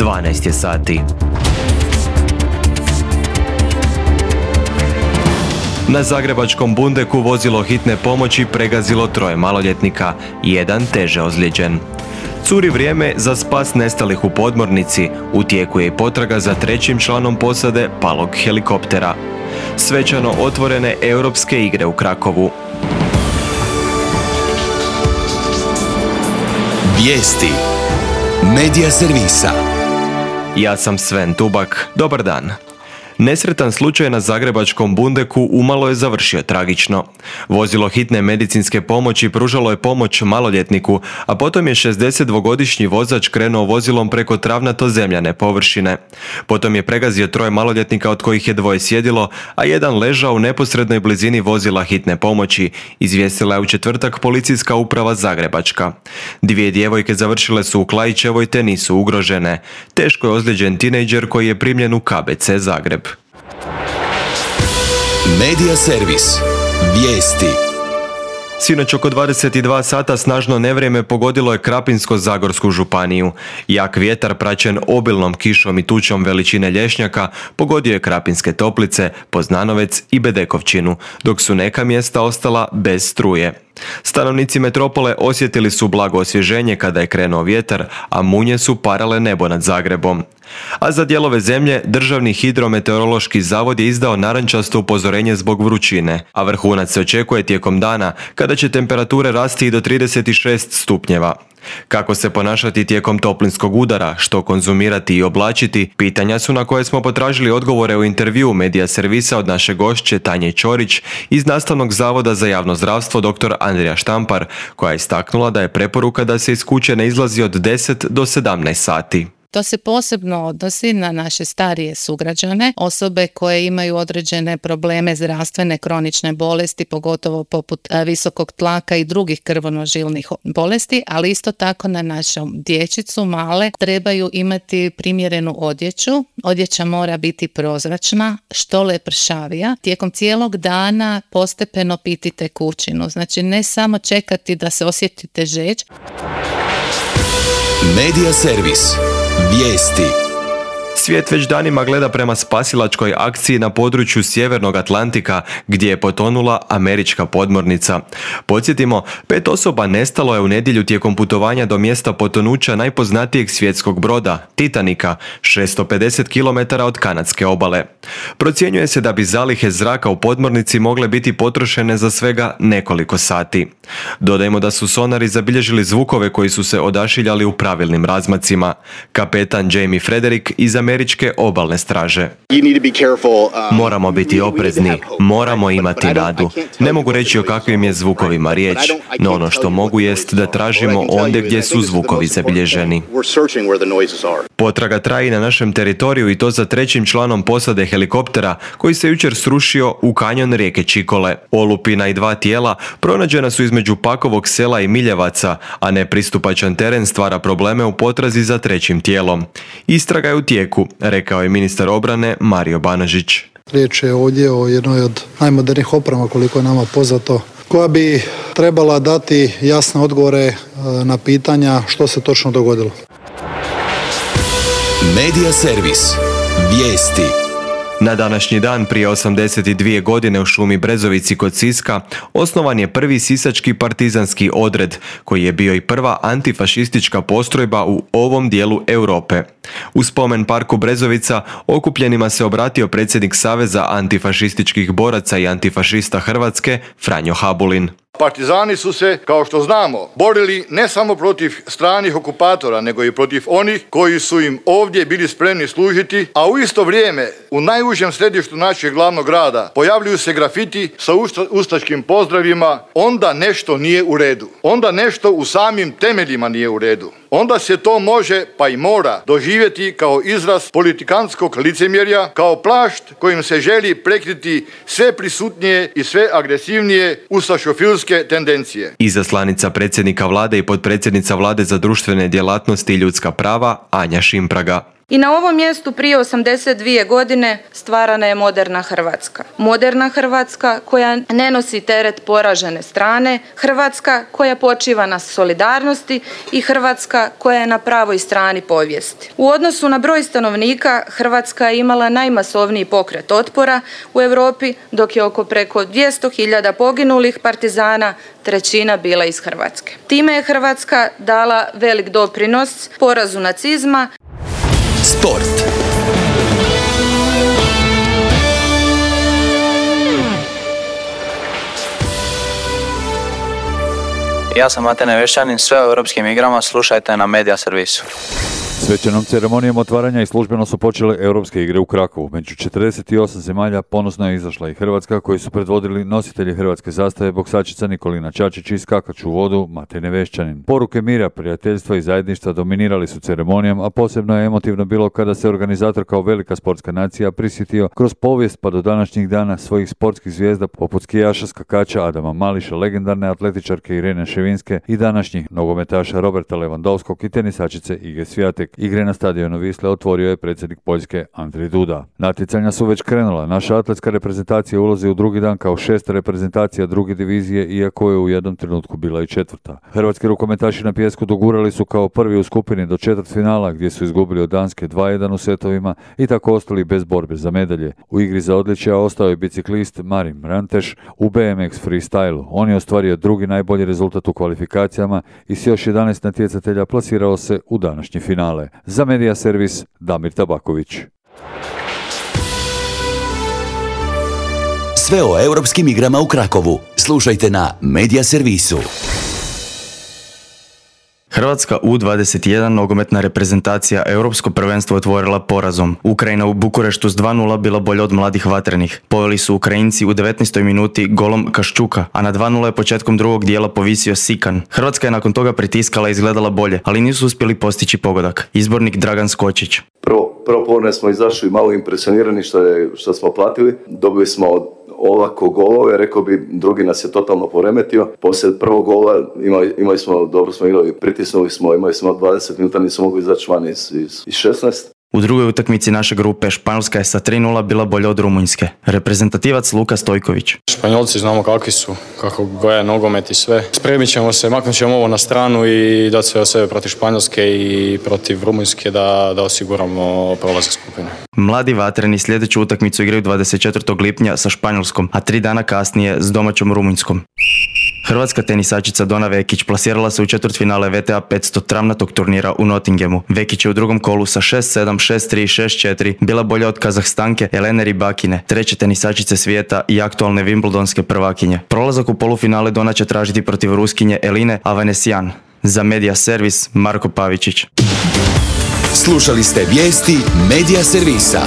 12 je sati. Na zagrebačkom Bundeku vozilo hitne pomoći pregazilo 3 maloljetnika, 1 teže ozlijeđen. Curi vrijeme za spas nestalih u podmornici, u tijeku je i potraga za 3. članom posade palog helikoptera. Svečano otvorene europske igre u Krakovu. Vijesti Medija servisa. Ja sam Sven Tubak, dobar dan. Nesretan slučaj na zagrebačkom Bundeku umalo je završio tragično. Vozilo hitne medicinske pomoći pružalo je pomoć maloljetniku, a potom je 62-godišnji vozač krenuo vozilom preko travnato-zemljane površine. Potom je pregazio 3 maloljetnika, od kojih je 2 sjedilo, a 1 ležao u neposrednoj blizini vozila hitne pomoći, izvijestila je u četvrtak policijska uprava Zagrebačka. 2 djevojke završile su u Klaićevoj te nisu ugrožene. Teško je ozlijeđen tinejdžer koji je primljen u KBC Zagreb. Medija servis. Vijesti. Sinoć oko 22 sata snažno nevrijeme pogodilo je Krapinsko-zagorsku županiju. Jak vjetar praćen obilnom kišom i tučom veličine lješnjaka pogodio je Krapinske Toplice, Poznanovec i Bedekovčinu, dok su neka mjesta ostala bez struje. Stanovnici metropole osjetili su blago osvježenje kada je krenuo vjetar, a munje su parale nebo nad Zagrebom. A za dijelove zemlje Državni hidrometeorološki zavod je izdao narančasto upozorenje zbog vrućine, a vrhunac se očekuje tijekom dana kada će temperature rasti i do 36 stupnjeva. Kako se ponašati tijekom toplinskog udara, što konzumirati i oblačiti, pitanja su na koje smo potražili odgovore u intervjuu Medija servisa od naše gošće Tanje Ćorić iz Nastavnog zavoda za javno zdravstvo dr. Andrija Štampar, koja je istaknula da je preporuka da se iz kuće ne izlazi od 10 do 17 sati. To se posebno odnosi na naše starije sugrađane, osobe koje imaju određene probleme zdravstvene, kronične bolesti, pogotovo poput visokog tlaka i drugih krvonožilnih bolesti, ali isto tako na našu dječicu male trebaju imati primjerenu odjeću. Odjeća mora biti prozračna, što lepršavija. Tijekom cijelog dana postepeno piti tekućinu, znači ne samo čekati da se osjetite žeđ. Medija servis. Vijesti. Svijet već danima gleda prema spasilačkoj akciji na području Sjevernog Atlantika gdje je potonula američka podmornica. Podsjetimo, 5 osoba nestalo je u nedjelju tijekom putovanja do mjesta potonuća najpoznatijeg svjetskog broda, Titanika, 650 km od kanadske obale. Procjenjuje se da bi zalihe zraka u podmornici mogle biti potrošene za svega nekoliko sati. Dodajmo da su sonari zabilježili zvukove koji su se odašiljali u pravilnim razmacima. Kapetan Jamie Frederick iz američke obalne straže. Moramo biti oprezni, moramo imati nadu. Ne mogu reći o kakvim je zvukovima riječ, no ono što mogu jest da tražimo ondje gdje su zvukovi zabilježeni. Potraga traji na našem teritoriju i to za 3. članom posade helikoptera koji se jučer srušio u kanjon rijeke Čikole. Olupina i 2 tijela pronađena su između Pakovog sela i Miljevaca, a nepristupačan teren stvara probleme u potrazi za 3. tijelom. Istraga je u tijeku, rekao je ministar obrane Mario Banožić. Riječ je ovdje o jednoj od najmodernijih oprema, koliko je nama poznato, koja bi trebala dati jasne odgovore na pitanja što se točno dogodilo. Medija servis. Vijesti. Na današnji dan prije 82 godine u šumi Brezovici kod Siska osnovan je prvi sisački partizanski odred, koji je bio i prva antifašistička postrojba u ovom dijelu Europe. U spomen parku Brezovica okupljenima se obratio predsjednik Saveza antifašističkih boraca i antifašista Hrvatske Franjo Habulin. Partizani su se, kao što znamo, borili ne samo protiv stranih okupatora, nego i protiv onih koji su im ovdje bili spremni služiti, a u isto vrijeme u najužem središtu našeg glavnog grada pojavljuju se grafiti sa ustaškim pozdravima, onda nešto nije u redu. Onda nešto u samim temeljima nije u redu. Onda se to može, pa i mora, doživjeti kao izraz politikantskog licemjerja, kao plašt kojim se želi prekriti sve prisutnije i sve agresivnije ustašofilske tendencije. Izaslanica predsjednika vlade i potpredsjednica vlade za društvene djelatnosti i ljudska prava Anja Šimpraga. I na ovom mjestu prije 82 godine stvarana je moderna Hrvatska. Moderna Hrvatska koja ne nosi teret poražene strane, Hrvatska koja počiva na solidarnosti i Hrvatska koja je na pravoj strani povijesti. U odnosu na broj stanovnika, Hrvatska je imala najmasovniji pokret otpora u Europi, dok je oko preko 200.000 poginulih partizana, trećina bila iz Hrvatske. Time je Hrvatska dala velik doprinos porazu nacizma. Sport. Ja sam Mate Nevešćanin, sve o europskim igrama slušajte na Media Servisu. Svečanom ceremonijom otvaranja i službeno su počele europske igre u Krakovu. Među 48 zemalja ponosno je izašla i Hrvatska, koji su predvodili nositelji hrvatske zastave, boksačica Nikolina Čačić i skakač u vodu Mate Nevešćanin. Poruke mira, prijateljstva i zajedništva dominirali su ceremonijom, a posebno je emotivno bilo kada se organizator kao velika sportska nacija prisjetio kroz povijest pa do današnjih dana svojih sportskih zvijezda poput skijaša, skakača Adama Mališa, legendarne atletičarke Irene Ševinske i današnjih nogometaša Roberta Lewandowskog i tenisačice Ige Swiatek. Igre na stadionu Wisle otvorio je predsjednik Poljske Andrzej Duda. Natjecanja su već krenula. Naša atletska reprezentacija ulazi u drugi dan kao 6. reprezentacija druge divizije, iako je u jednom trenutku bila i 4. Hrvatski rukometaši na pijesku dogurali su kao prvi u skupini do četvrtfinala, gdje su izgubili od Danske 2-1 u setovima i tako ostali bez borbe za medalje. U igri za odličja ostao je biciklist Marin Ranteš u BMX freestylu. On je ostvario drugi najbolji rezultat u kvalifikacijama i s još 11 natjecatelja plasirao se u današnji finale. Za Media Servis, Damir Tabaković. Sve o europskim igrama u Krakovu slušajte na Media Servisu. Hrvatska U21 nogometna reprezentacija europsko prvenstvo otvorila porazom. Ukrajina u Bukureštu s 2:0 bila bolja od mladih vatrenih. Poveli su Ukrajinci u 19. minuti golom Kaščuka, a na 2:0 je početkom drugog dijela povisio Sikan. Hrvatska je nakon toga pritiskala i izgledala bolje, ali nisu uspjeli postići pogodak. Izbornik Dragan Skočić. Prvo povremeno smo izašli malo impresionirani što smo platili. Dobili smo ovako golove, rekao bi, drugi nas je totalno poremetio. Poslije prvog gola imali smo, dobro smo igrali, pritisnuli smo, imali smo 20 minuta, nismo mogli izaći van iz 16. U drugoj utakmici naše grupe Španjolska je sa 3:0 bila bolja od Rumunjske. Reprezentativac Luka Stojković. Španjolci znamo kakvi su, kako goja nogomet i sve. Spremit ćemo se, maknut ćemo ovo na stranu i dati sve od sebe protiv Španjolske i protiv Rumunjske da osiguramo prolazak skupine. Mladi vatreni sljedeću utakmicu igraju 24. lipnja sa Španjolskom, a 3 dana kasnije s domaćom Rumunjskom. Hrvatska tenisačica Dona Vekić plasirala se u četvrtfinale VTA 500 travnatog turnira u Nottinghamu. Vekić je u drugom kolu sa 6-7, 6-3, 6-4 bila bolja od Kazahstanke Elene Rybakine, treće tenisačice svijeta i aktualne Wimbledonske prvakinje. Prolazak u polufinale Dona će tražiti protiv Ruskinje Eline Avanesyan. Za Media Servis, Marko Pavičić. Slušali ste vijesti Media Servisa.